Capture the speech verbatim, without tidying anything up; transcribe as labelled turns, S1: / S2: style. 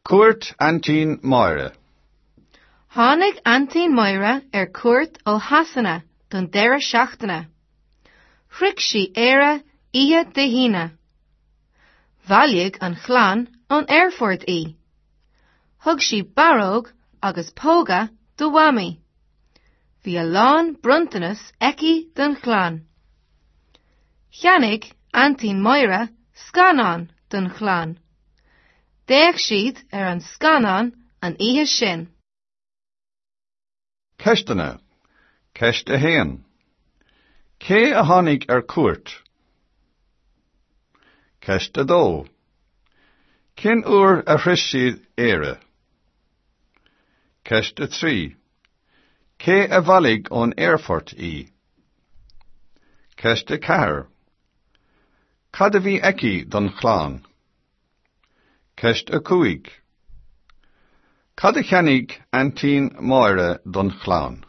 S1: Cuairt Aintín Máire.
S2: Tháinig Aintín Máire ar cuairt ó Shasana don deireadh seachtaine. Shroich sí Éire oíche Dé hAoine. Bhailigh an chlann ón aerfort í. Thug sí barróg agus póga do Mhamaí. Bhí a lán bronntanas aici don chlann. Cheannaigh Aintín Máire scannán don chlann. D'fhéach siad ar an scannán an oíche sin.
S1: Ceisteanna. Ceist a haon. Cé a tháinig ar cuairt? Ceist a dó. Cén uair a shroich siad Éire? Ceist a trí. Cé a bhailigh ón aerfort í? Ceist a ceathair. Cad a bhí aici don chlann? Ceist a cúig. Cad a cheannaigh Aintín Máire don chlann?